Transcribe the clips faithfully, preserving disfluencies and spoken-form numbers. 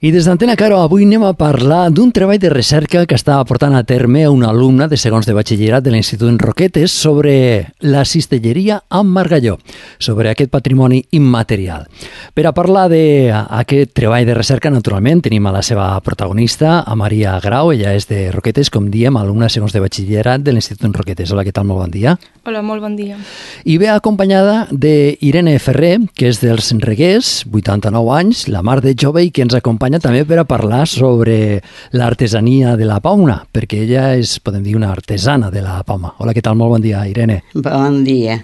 I des d'Antena Caro avui anem a parlar d'un treball de recerca que està portant a terme una alumna de segons de batxillerat de l'Institut en Roquetes sobre la cistelleria amb margalló, sobre aquest patrimoni immaterial. Per a parlar d'aquest treball de recerca, naturalment, tenim a la seva protagonista, a Maria Grau. Ella és de Roquetes, com diem, alumna de segons de batxillerat de l'Institut en Roquetes. Hola, què tal? Molt bon dia. Hola, molt bon dia. I ve acompanyada d'Irene Ferrer, que és dels Reguers, vuitanta-nou anys, la mar de jove, i que ens acompanya també per a parlar sobre l'artesania de la pauma, perquè ella és, podem dir, una artesana de la pauma. Hola, què tal? Molt bon dia, Irene. Bon dia.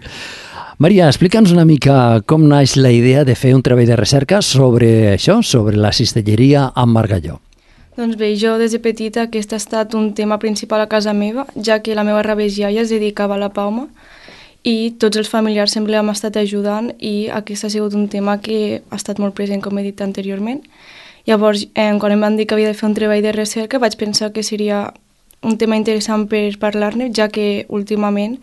Maria, explica'ns una mica com naix la idea de fer un treball de recerca sobre això, sobre la cistelleria amb margalló. Doncs bé, jo des de petita aquest ha estat un tema principal a casa meva, ja que la meva rebegiaia es dedicava a la pauma i tots els familiars sempre hem estat ajudant i aquest ha sigut un tema que ha estat molt present, com he dit anteriorment. Llavors, eh, quan em van dir que havia de fer un treball de recerca, vaig pensar que seria un tema interessant per parlar-ne, ja que últimament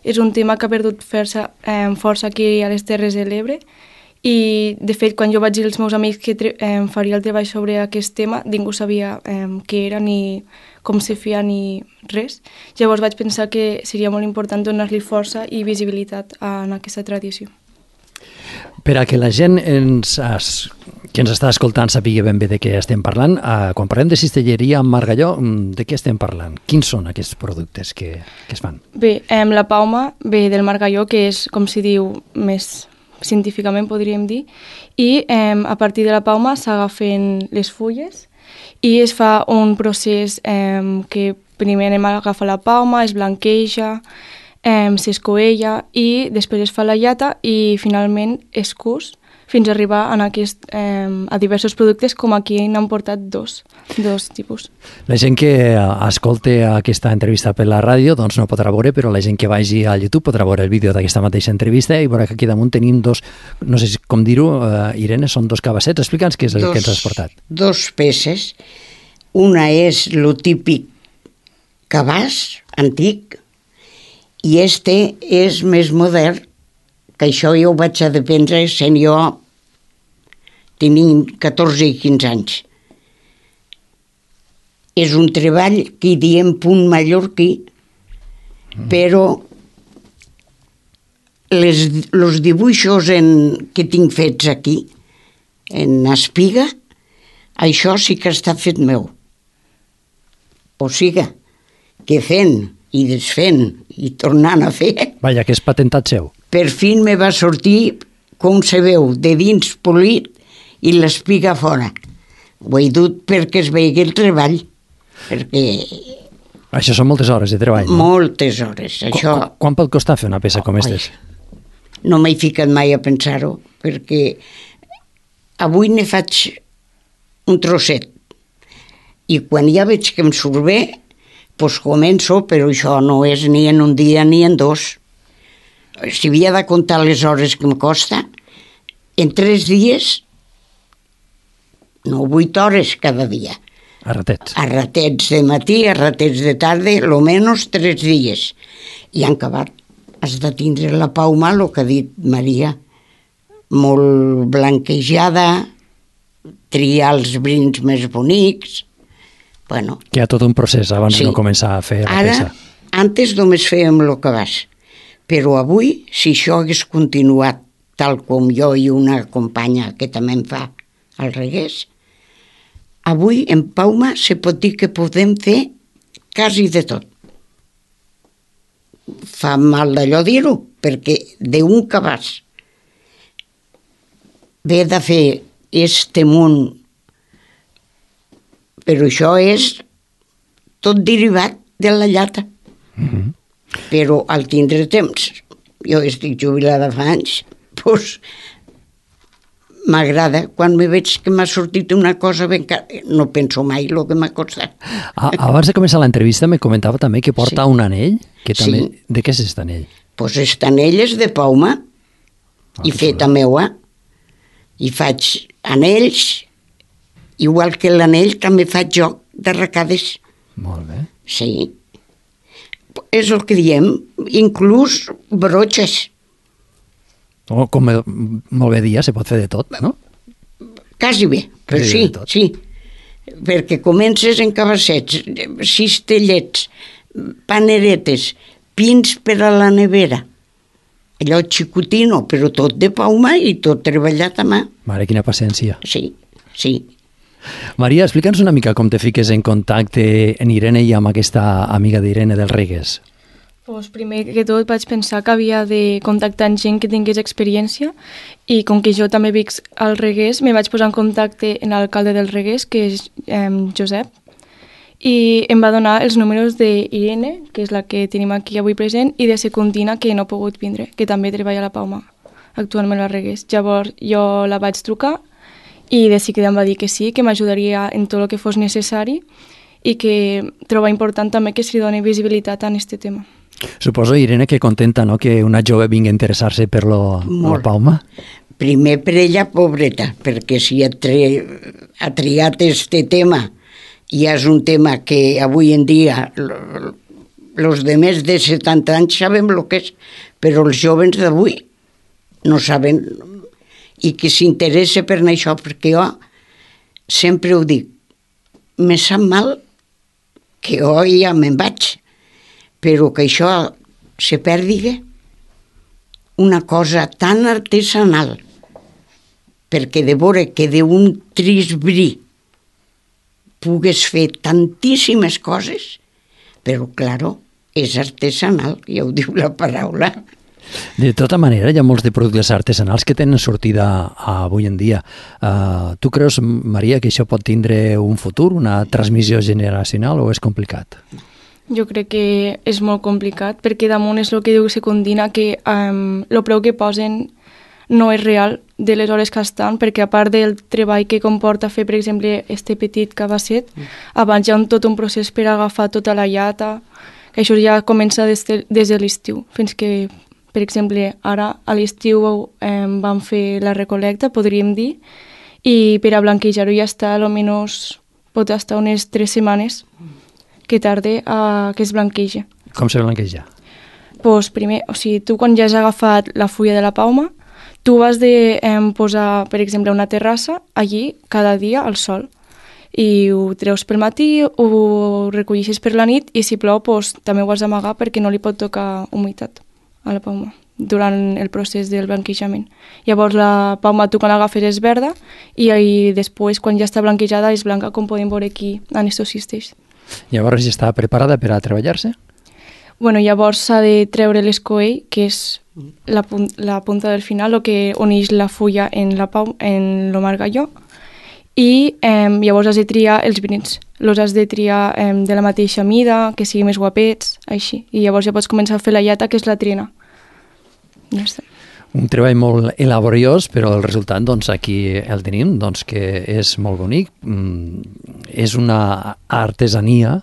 és un tema que ha perdut força, eh, força aquí a les Terres de l'Ebre. I, de fet, quan jo vaig dir als meus amics que eh, faria el treball sobre aquest tema, ningú sabia eh, què era, ni com se feia, ni res. Llavors vaig pensar que seria molt important donar-li força i visibilitat en aquesta tradició. Per a que la gent ens, es, que ens està escoltant sàpiga ben bé de què estem parlant, eh, quan parlem de cistelleria amb margalló, de què estem parlant? Quins són aquests productes que, que es fan? Bé, eh, la pauma ve del margalló, que és, com s'hi diu, més científicament podríem dir, i eh, a partir de la pauma s'agafen les fulles i es fa un procés eh, que primer anem a agafar la pauma, es blanqueja, eh, s'escoella i després es fa la llata i finalment es cus fins a arribar en aquest, eh, a diversos productes, com aquí n'han portat dos, dos tipus. La gent que escolta aquesta entrevista per la ràdio doncs no podrà veure, però la gent que vagi a YouTube podrà veure el vídeo d'aquesta mateixa entrevista i veurà que aquí damunt tenim dos, no sé com dir-ho, uh, Irene, són dos cabassets. Explica'ns què és el dos, que ens has portat. Dos peces. Una és lo típic cabàs antic i este és més modern, que això jo ho vaig a dependre sent jo tenint catorze i quinze anys. És un treball que hi diem punt mallorquí, mm. però les, els dibuixos en, que tinc fets aquí, en espiga, això sí que està fet meu. O sigui, que fent i desfent i tornant a fer... Vaja, que és patentat seu. Per fi me va sortir, com se veu, de dins polit i l'espiga fora. Ho he dut perquè es vegi el treball, perquè... Això són moltes hores de treball, no? Moltes hores. Això... Qu quan pot costar fer una peça com aquestes? No m'he ficat mai a pensar-ho, perquè avui ne faig un trosset i quan ja veig que em surt bé, doncs començo, però això no és ni en un dia ni en dos. Si havia de comptar les hores que em costa, en tres dies, no vuit hores cada dia. A ratets. A ratets de matí, a ratets de tarda, lo menys tres dies. I han acabat. Has de tindre la pauma, el que ha dit Maria, molt blanquejada, triar els brins més bonics. Bueno, que hi ha tot un procés abans sí. de no començar a fer la Ara, peça. Antes només fèiem el cabàs, però avui, si això hagués continuat tal com jo i una companya que també em fa el Reguers, avui en pauma se pot dir que podem fer quasi de tot. Fa mal d'allò dir-ho, perquè d'un cabàs ve de fer este munt, però això és tot derivat de la llata. Mm-hmm. Però al tindre temps, jo estic jubilada fa anys, doncs m'agrada. Quan me veig que m'ha sortit una cosa ben cara, no penso mai el que m'ha costat. Ah, abans de començar l'entrevista me comentava també que porta sí. un anell. Que també... sí. De què és aquest anell? Doncs aquest anell és de pauma ah, i feta meua. I faig anells, igual que l'anell també faig joc de arracades. Molt bé. Sí. És el que diem, inclús brotxes. O, com molt bé dia, se pot fer de tot, no? quasi bé, però sí, sí, perquè comences en cabassets, cistellets, paneretes, pins per a la nevera, allò xicotino, però tot de pauma i tot treballat a mà. Mare, quina paciència. Sí, sí. Maria, explica'ns una mica com te fiques en contacte en Irene i amb aquesta amiga d'Irene del Regués. Pues primer que tot vaig pensar que havia de contactar amb gent que tingués experiència i com que jo també vic al Regués, me vaig posar en contacte amb l'alcalde del Regués, que és eh, Josep, i em va donar els números d'Irene, que és la que tenim aquí avui present, i de Secundina, que no ha pogut vindre, que també treballa a la Palma, actualment al Regués. Llavors jo la vaig trucar i de seguida em va dir que sí, que m'ajudaria en tot el que fos necessari i que troba important també que se li doni visibilitat a aquest tema. Suposo, Irene, que contenta, no?, que una jove vingui a interessar-se per lo, la Palma. Primer per ella, pobreta, perquè si ha, tri... ha triat este tema i és un tema que avui en dia els de més de setanta anys sabem el que és, però els joves d'avui no saben, i que s'interessa per això, perquè jo sempre ho dic, me sap mal que jo ja me'n vaig, però que això se perdi una cosa tan artesanal, perquè de veure que d'un trist bri pugues fer tantíssimes coses, però, claro, és artesanal, ja ho diu la paraula. De tota manera, hi ha molts de productes artesanals que tenen sortida avui en dia. Uh, tu creus, Maria, que això pot tindre un futur, una transmissió generacional, o és complicat? Jo crec que és molt complicat, perquè damunt és el que diu Secundina, que um, el preu que posen no és real de les hores que estan, perquè a part del treball que comporta fer, per exemple, este petit cabasset, mm. abans hi ha un, tot un procés per agafar tota la llata, que això ja comença des de, des de l'estiu, fins que, per exemple, ara a l'estiu eh, vam fer la recolecta, podríem dir, i per a blanquejar-ho ja està, almenys pot estar unes tres setmanes que tarda a que es blanqueja. Com se blanqueja? Pues primer, o sigui, tu quan ja has agafat la fulla de la palma, tu vas de eh, posar, per exemple, una terrassa allí cada dia al sol i ho treus pel matí, ho recolleixes per la nit i si plou pues, també ho has d'amagar perquè no li pot tocar humitat a la palma durant el procés del blanquejament. Llavors la palma tu quan l'agafes és verda i, i després quan ja està blanquejada és blanca, com podem veure aquí en estos cistells. Llavors ja està preparada per a treballar-se? Bueno, llavors s'ha de treure l'escoell, que és la, pun la punta del final, el que uneix la fulla en la pau, en el margalló, i eh, llavors has de triar els brins. Els has de triar eh, de la mateixa mida, que siguin més guapets, així. I llavors ja pots començar a fer la llata, que és la trina. Ja està. Un treball molt elaboriós, però el resultat, doncs, aquí el tenim, doncs, que és molt bonic. Mm, és una artesania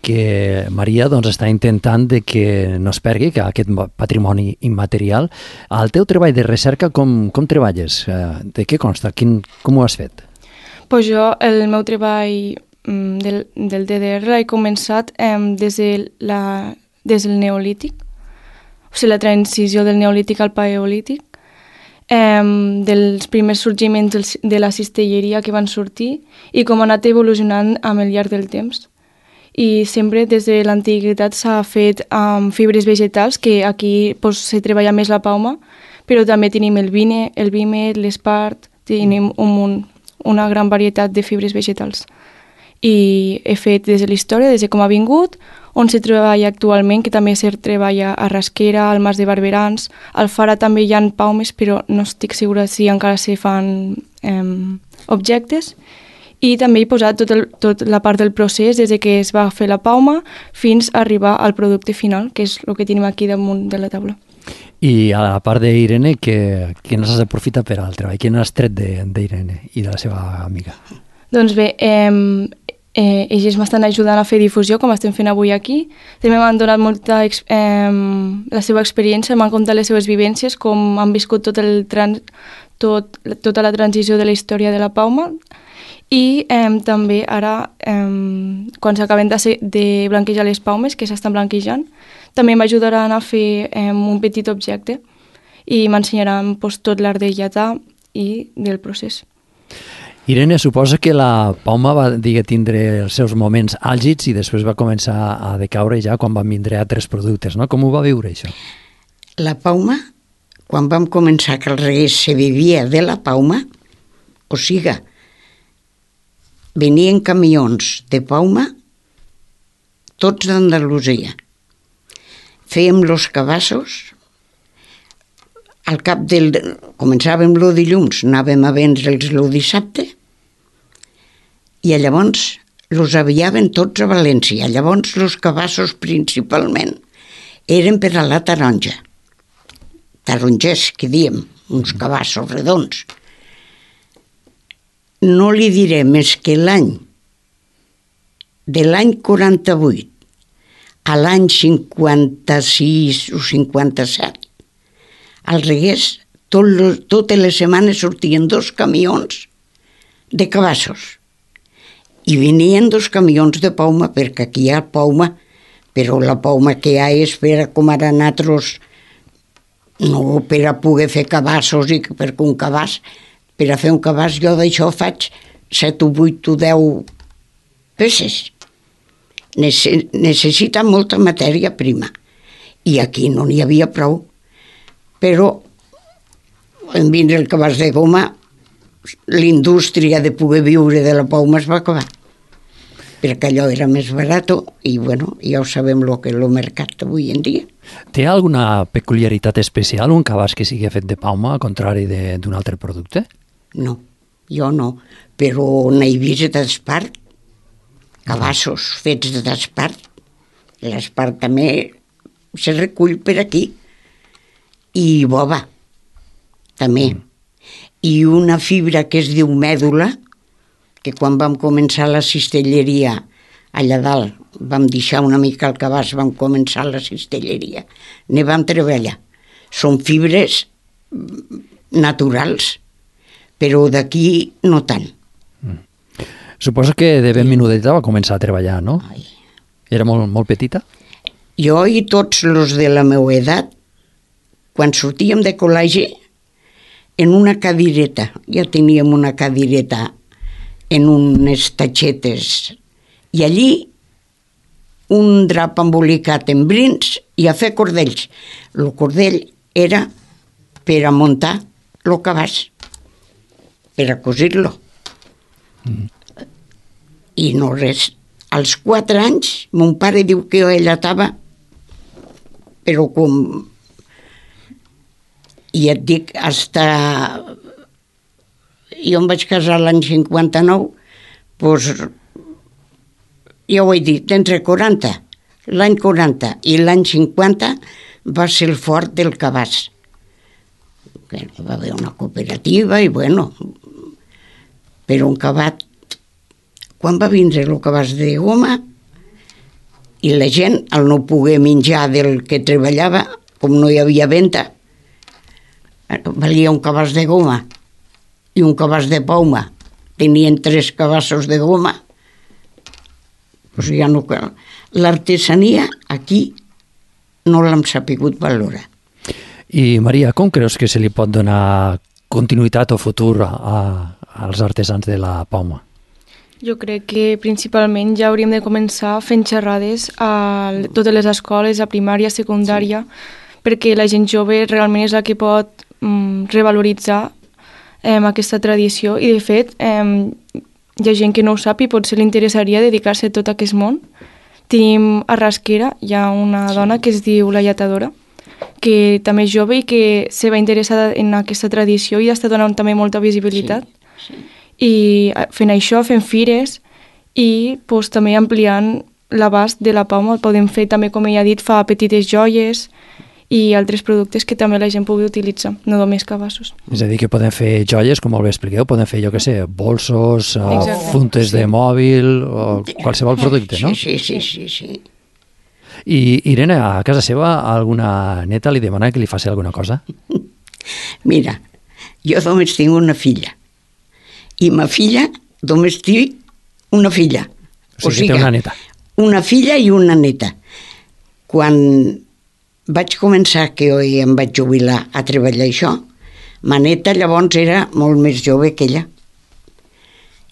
que Maria doncs, està intentant de que no es perdi, que aquest patrimoni immaterial. El teu treball de recerca, com, com treballes? De què consta? Quin, com ho has fet? Pues jo, el meu treball mm, del, del D D R l'he començat eh, des, de la, des del neolític, o sigui, la transició del neolític al paleolític, eh, dels primers sorgiments del, de la cistelleria que van sortir i com ha anat evolucionant amb el llarg del temps. I sempre des de l'antiguitat s'ha fet amb fibres vegetals, que aquí pues, se treballa més la palma, però també tenim el vine, el vímet, l'espart, tenim un munt, una gran varietat de fibres vegetals. I he fet des de la història, des de com ha vingut, on se treballa actualment, que també se treballa a Rasquera, al Mas de Barberans, al Fara també hi ha paumes, però no estic segura si encara se fan eh, objectes. I també he posat tot el, tot la part del procés, des de que es va fer la pauma fins a arribar al producte final, que és el que tenim aquí damunt de la taula. I a la part d'Irene, que, que no s'has aprofitat per al treball? Quin has tret d'Irene i de la seva amiga? Doncs bé, eh, eh, ells m'estan ajudant a fer difusió, com estem fent avui aquí. També m'han donat molta eh, la seva experiència, m'han contat les seves vivències, com han viscut tot el trans, tot, tota la transició de la història de la pauma. I eh, també ara, eh, quan s'acaben de, de blanquejar les paumes, que s'estan blanquejant, també m'ajudaran a fer eh, un petit objecte i m'ensenyaran pues, tot l'art de llatar i del procés. Irene, suposa que la Pauma va digue, tindre els seus moments àlgids i després va començar a decaure ja quan van vindre altres productes, no? Com ho va viure, això? La Pauma, quan vam començar que el regués se vivia de la Pauma, o siga, venien camions de Pauma tots d'Andalusia. Fèiem los cabassos, al cap del... Començàvem el dilluns, anàvem a vendre'ls el dissabte, i llavors los aviaven tots a València. Llavors los cabassos principalment eren per a la taronja. Tarongers, que diem, uns cabassos redons. No li diré més que l'any, de l'any quaranta-vuit a l'any cinquanta-sis o cinquanta-set, al Reguers, tot lo, totes les setmanes sortien dos camions de cabassos i venien dos camions de Pauma, perquè aquí hi ha Pauma, però la Pauma que hi ha és per a com ara nosaltres, no per a poder fer cabassos, i perquè un cabàs, per a fer un cabàs jo d'això faig set o vuit o deu peces. Necessita molta matèria prima i aquí no n'hi havia prou. Però en vindre el cabàs de goma, l'indústria de poder viure de la Pauma es va acabar, perquè allò era més barat i bueno, ja ho sabem el que és el mercat avui en dia. Té alguna peculiaritat especial un cabàs que sigui fet de Pauma, al contrari d'un altre producte? No, jo no, però n'he vist d'espart, cabassos fets d'espart. L'espart també se recull per aquí. I bova, també. I una fibra que es diu mèdula, que quan vam començar la cistelleria allà dalt, vam deixar una mica el cabàs, vam començar la cistelleria, ne vam treballar. Són fibres naturals, però d'aquí no tant. Mm. Suposo que de ben menudeta va començar a treballar, no? Ai. Era molt, molt petita? Jo i tots els de la meva edat, quan sortíem de col·legi, en una cadireta, ja teníem una cadireta en unes tatxetes, i allí un drap embolicat en brins i a fer cordells. El cordell era per a muntar el cabàs, per a cosir-lo. Mm. I no res. Als quatre anys, mon pare diu que jo ella estava, però com... I et dic, hasta... Jo em vaig casar l'any cinquanta-nou, doncs, ja ho he dit, entre quaranta, l'any quaranta i l'any cinquanta va ser el fort del cabàs. Va haver una cooperativa i, bueno, però un cabàs, quan va vindre el cabàs de goma, i la gent, al no poder menjar del que treballava, com no hi havia venda, valia un cabàs de goma i un cabàs de Pauma. Tenien tres cabassos de goma. Pues ja no... L'artesania aquí no l'hem sapigut valorar. I Maria, com creus que se li pot donar continuïtat o futur a, als artesans de la Pauma? Jo crec que principalment ja hauríem de començar fent xerrades a totes les escoles, a primària, secundària, sí. Perquè la gent jove realment és la que pot mm, revaloritzar eh, aquesta tradició i, de fet, eh, hi ha gent que no ho sap i potser li interessaria dedicar-se a tot aquest món. Tenim a Rasquera, hi ha una dona que es diu La Lletadora, que també és jove i que se va interessar en aquesta tradició i està donant també molta visibilitat. Sí, sí. I fent això, fent fires i pues, també ampliant l'abast de la Pauma. Podem fer també, com ella ha dit, fa petites joies i altres productes que també la gent pugui utilitzar, no només cabassos. És a dir, que poden fer joies, com molt bé expliqueu, poden fer, jo què sé, bolsos, Exacte. funtes sí. de mòbil, o qualsevol producte, no? Sí, sí, sí, sí, sí. I Irene, a casa seva, alguna neta li demana que li faci alguna cosa? Mira, jo només tinc una filla, i ma filla només tinc una filla. O sigui, o sigui té una neta. Una filla i una neta. Quan vaig començar, que jo em vaig jubilar a treballar això, ma neta llavors era molt més jove que ella.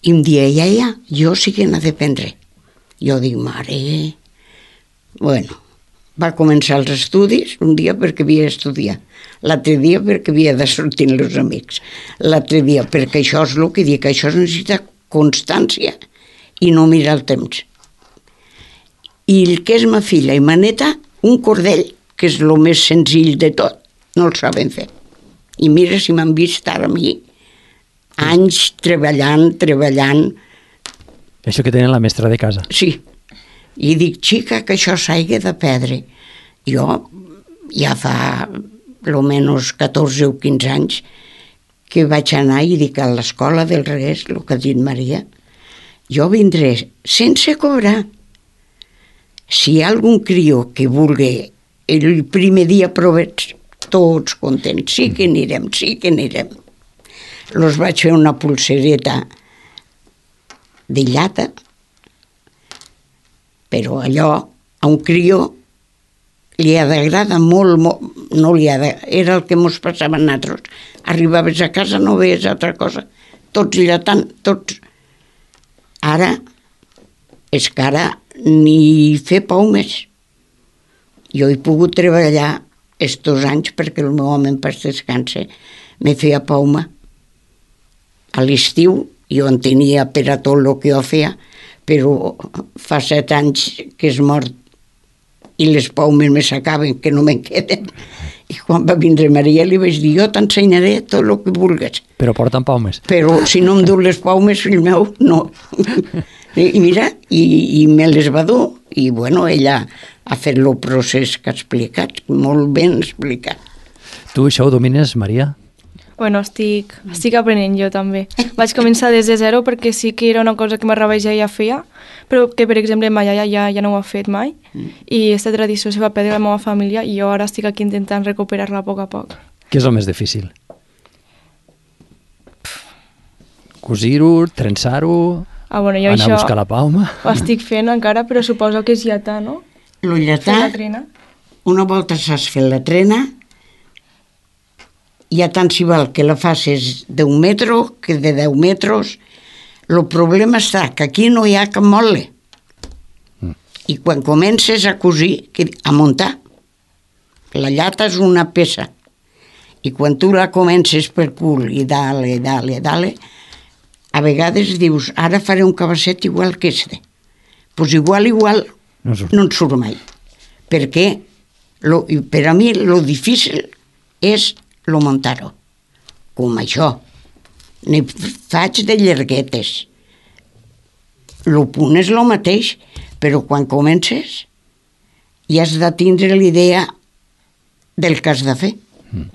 I em dia, ja, ja, jo sí que n'ha d'aprendre. Jo dic, mare... Bueno, va començar els estudis, un dia perquè havia d'estudiar, l'altre dia perquè havia de sortir amb els amics, l'altre dia perquè això és el que dic, això necessita constància i no mirar el temps. I el que és ma filla i ma neta, un cordell, que és el més senzill de tot, no el saben fer. I mira si m'han vist ara a mi, anys treballant, treballant. Això que tenen la mestra de casa. Sí. I dic, xica, que això s'hagi de perdre. Jo ja fa almenys catorze o quinze anys que vaig anar i dic a l'escola del Reguers, el que ha dit Maria, jo vindré sense cobrar. Si hi ha algun crió que vulgui el primer dia provets, tots contents, sí que anirem, sí que anirem. Los vaig fer una pulsereta de llata, però allò a un crió li ha d'agradar molt, molt, no li ha de... Era el que mos passava a nosaltres. Arribaves a casa, no veies altra cosa. Tots llatant, tots. Ara, és que ara ni fer paumes. Jo he pogut treballar estos anys perquè el meu home en pas descanse me feia pauma. A l'estiu jo en tenia per a tot el que jo feia, però fa set anys que és mort i les paumes me s'acaben, que no me'n queden. I quan va vindre Maria li vaig dir, jo t'ensenyaré tot el que vulguis. Però porten paumes. Però si no em du les paumes, fill meu, no. I mira, i, i me les va dur. I bueno, ella ha fet el procés que ha explicat, molt ben explicat. Tu això ho domines, Maria? Bueno, estic, estic aprenent jo també. Vaig començar des de zero perquè sí que era una cosa que ma rebaixa ja feia, però que, per exemple, ma iaia ja, ja no ho ha fet mai, i aquesta tradició se va perdre a la meva família i jo ara estic aquí intentant recuperar-la a poc a poc. Què és el més difícil? Cosir-ho, trensar-ho, ah, bueno, jo anar això a buscar la palma? Ho estic fent encara, però suposo que és llatar, no? Lo llatar, Fer la trena. una volta saps fer la trena, ja tant si val que la facis d'un metro que de deu metres. El problema està que aquí no hi ha cap motlle. Mm. I quan comences a cosir, a muntar, la llata és una peça. I quan tu la comences per cul i dale, dale, dale, a vegades dius, ara faré un cabasset igual que este. Doncs pues igual, igual, no, no en surt mai. Perquè lo, per a mi lo difícil és lo muntar-ho, com això. Ne faig de llarguetes. Lo punt és lo mateix, però quan comences ja has de tindre l'idea del que has de fer. Mm.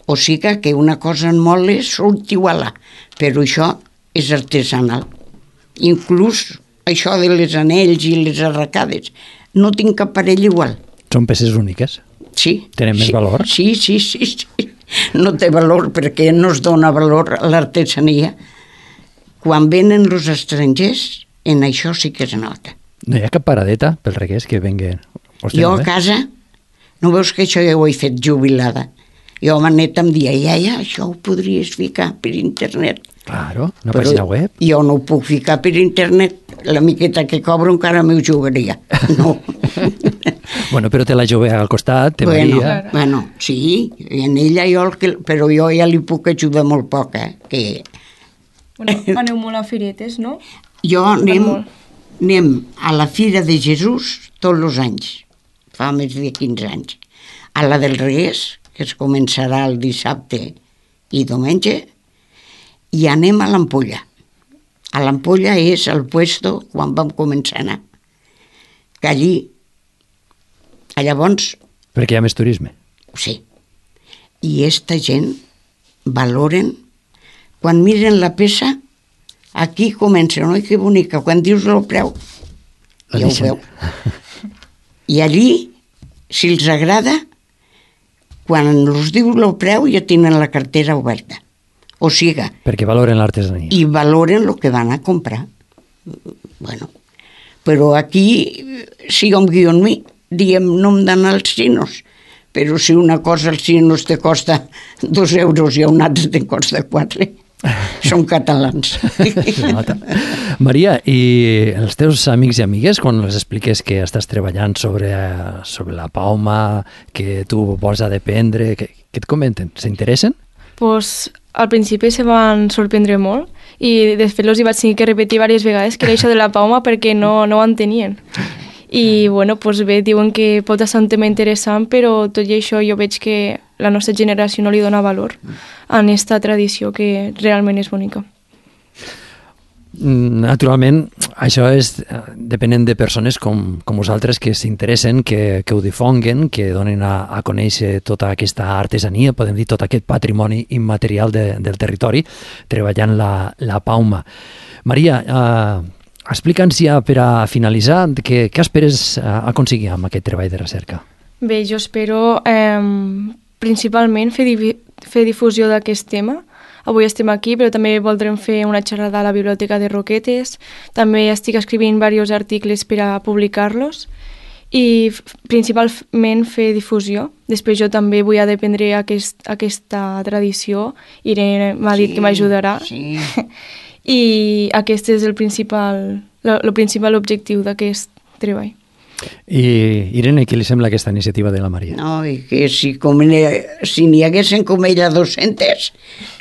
O sigui que una cosa en motlle surt igual, però això és artesanal. Inclús això de les anells i les arracades, no tinc cap parell igual. Són peces úniques? Sí. Tenen més sí, valor? Sí, sí, sí, sí. No té valor perquè no es dona valor a l'artesania. Quan venen els estrangers, en això sí que es nota. No hi ha cap paradeta pel Reguers que venguen? Hòstia, jo a casa, no veus que això ja ho he fet jubilada? Jo ma neta em dia, iaia, això ho podries ficar per internet. Claro, una Però pàgina web. Jo no ho puc ficar per internet, la miqueta que cobro encara m'ho jugaria. No. Bueno, però té la jove al costat, té bueno, Maria. Bueno, sí, en ella jo, el que, però jo ja li puc ajudar molt poc, eh? Que... Bueno, aneu molt a firetes, no? Jo anem, anem a la Fira de Jesús tots els anys, fa més de quinze anys. A la del Reguers, que es començarà el dissabte i diumenge, i anem a l'Ampolla. A l'Ampolla és el puesto quan vam començar a anar. Que allí, a llavors... Perquè hi ha més turisme. Sí. I esta gent valoren, quan miren la peça, aquí comença, oi, que bonica, quan dius el preu, la ja ho veu. I allí, si els agrada, quan els diu el preu ja tenen la cartera oberta. O siga... Perquè valoren l'artesania. I valoren el que van a comprar. Bueno, però aquí, si jo em guio en mi, diem, no em dan els xinos, però si una cosa als xinos te costa dos euros i a un altre te costa quatre. Són catalans. Maria, i els teus amics i amigues, quan els expliques que estàs treballant sobre, sobre la pauma, que tu vols dependre, què, què et comenten? S'interessen? Pues, al principi se van sorprendre molt i de fet els hi vaig tenir que repetir diverses vegades que era això de la pauma perquè no, no ho entenien. I bueno, pues bé, diuen que pot ser un tema interessant, però tot i això jo veig que la nostra generació no li dona valor a aquesta tradició que realment és bonica. Naturalment, això és depenent de persones com, com vosaltres que s'interessen, que, que ho difonguen, que donen a, a conèixer tota aquesta artesania, podem dir tot aquest patrimoni immaterial de, del territori, treballant la, la pauma. Maria, eh, explica'ns ja per a finalitzar què, què esperes aconseguir amb aquest treball de recerca. Bé, jo espero eh, principalment fer, di fer difusió d'aquest tema. Avui estem aquí, però també voldrem fer una xerrada a la Biblioteca de Roquetes. També estic escrivint diversos articles per a publicar-los i principalment fer difusió. Després jo també vull aprendre aquest, aquesta tradició. Irene m'ha dit sí, que m'ajudarà. Sí. I aquest és el principal, el principal objectiu d'aquest treball. I Irene, què li sembla aquesta iniciativa de la Maria? No, i que si, com n'hi si n'hi haguessin com ella dos-centes,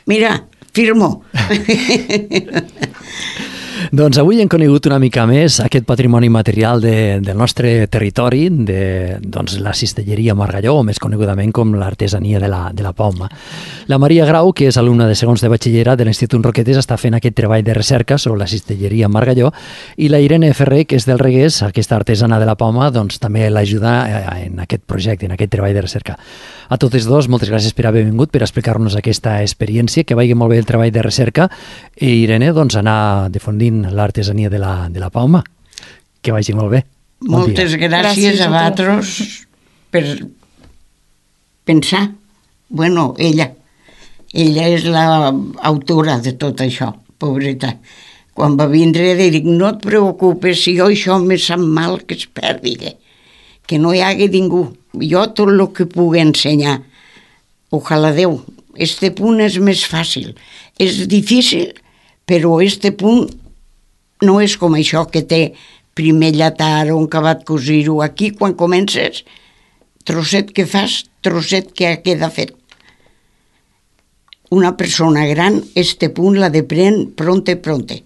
mira, firmo. Doncs avui hem conegut una mica més aquest patrimoni material de, del nostre territori, de doncs, la cistelleria Margalló, o més conegudament com l'artesania de la, de la pauma. La Maria Grau, que és alumna de segons de batxillerat de l'Institut Roquetes, està fent aquest treball de recerca sobre la cistelleria Margalló, i la Irene Ferrer, que és del Regués, aquesta artesana de la pauma, doncs també l'ajuda en aquest projecte, en aquest treball de recerca. A totes dos, moltes gràcies per haver vingut, per explicar-nos aquesta experiència, que vagi molt bé el treball de recerca, i Irene, doncs, anar difundint l'artesania de la, de la pauma. Que vagi molt bé. Bon Moltes dia. gràcies, gràcies a vosaltres per pensar. Bueno, ella. Ella és l'autora de tot això, pobreta. Quan va vindre, dic, no et preocupes, si jo això me sap mal que es perdi, que no hi hagi ningú. Jo tot el que pugui ensenyar. Ojalà Déu. Este punt és més fàcil. És difícil, però este punt no és com això que té primer llatar o un acabat cosir-ho. Aquí, quan comences, trosset que fas, trosset que queda fet. Una persona gran, este punt la depren pronte, pronte.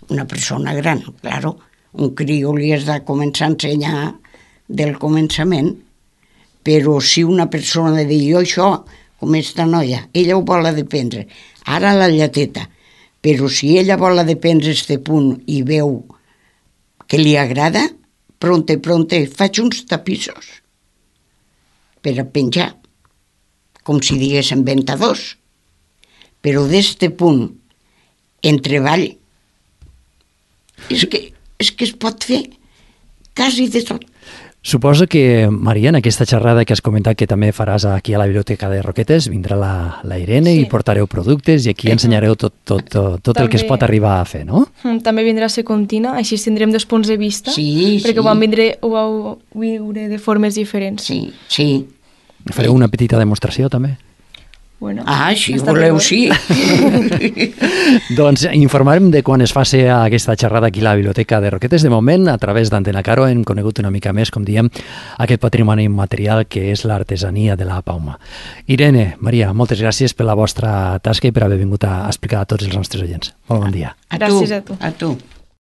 Una persona gran, claro. Un crió li has de començar a ensenyar del començament, però si una persona li diu, jo això, com esta noia, ella ho vol dependre, ara la lleteta, però si ella vol dependre este punt i veu que li agrada, pronte, pronte, faig uns tapissos per a penjar, com si diguéssim ventadors, però d'este punt en treball és que, és que es pot fer quasi de tot. Suposo que, Maria, en aquesta xerrada que has comentat que també faràs aquí a la Biblioteca de Roquetes, vindrà la, la Irene sí. i portareu productes i aquí ensenyareu tot, tot, tot, tot també, el que es pot arribar a fer, no? També vindrà Secontina, així tindrem dos punts de vista, sí, perquè sí. ho vam vindre, ho vau viure de formes diferents. Sí, sí. Fareu una petita demostració, també? Bueno, ah, si voleu, sí. Doncs informarem de quan es faci aquesta xerrada aquí a la Biblioteca de Roquetes. De moment, a través d'Antena Caro, hem conegut una mica més, com diem, aquest patrimoni immaterial que és l'artesania de la pauma. Irene, Maria, moltes gràcies per la vostra tasca i per haver vingut a explicar a tots els nostres oients. Molt bon dia. A tu, gràcies a tu. A tu.